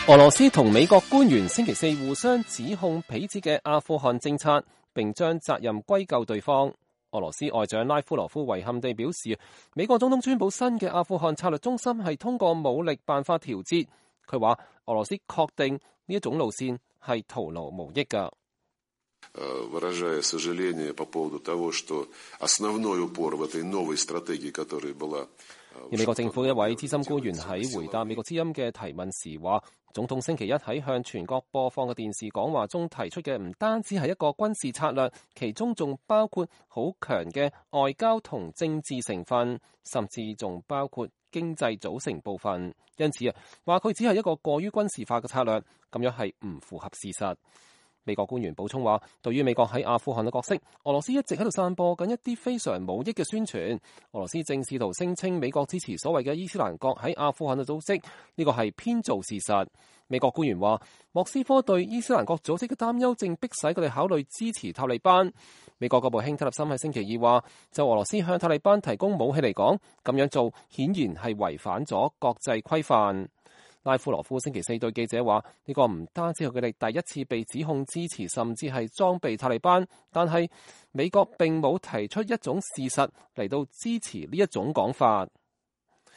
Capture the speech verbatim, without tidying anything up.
俄羅斯同美國官員星期四互相指控彼此嘅阿富汗政策，並將責任歸咎對方。俄羅斯外長拉夫羅夫遺憾地表示，美國總統川普新嘅阿富汗策略中心係通過武力辦法調節。佢話俄羅斯確定呢一種路線係徒勞無益㗎。выражая сожаление по поводу того, что основной упор в этой новой стратегии, которая была。而美國政府一位資深官員喺回答美國之音嘅提問時話，總統星期一喺向全國播放嘅電視講話中提出嘅唔單止係一個軍事策略，其中仲包括好強嘅外交同政治成分，甚至仲包括經濟組成部分。因此啊，話佢只係一個過於軍事化嘅策略，咁樣係唔符合事實。美國官員補充話，對於美國喺阿富汗嘅角色，俄羅斯一直喺度散播緊一啲非常無益嘅宣傳。俄羅斯正試圖聲稱美國支持所謂嘅伊斯蘭國喺阿富汗嘅組織，呢個係編造事實。美國官員話，莫斯科對伊斯蘭國組織嘅擔憂正迫使佢哋考慮支持塔利班。美國國務卿塔利森喺星期二話，就俄羅斯向塔利班提供武器嚟講，咁樣做顯然係違反咗國際規範。拉夫羅夫星期四對記者話，呢個唔單止係佢哋第一次被指控支持甚至係裝備塔利班，但係美國並冇提出一種事實嚟到支持呢一種講法。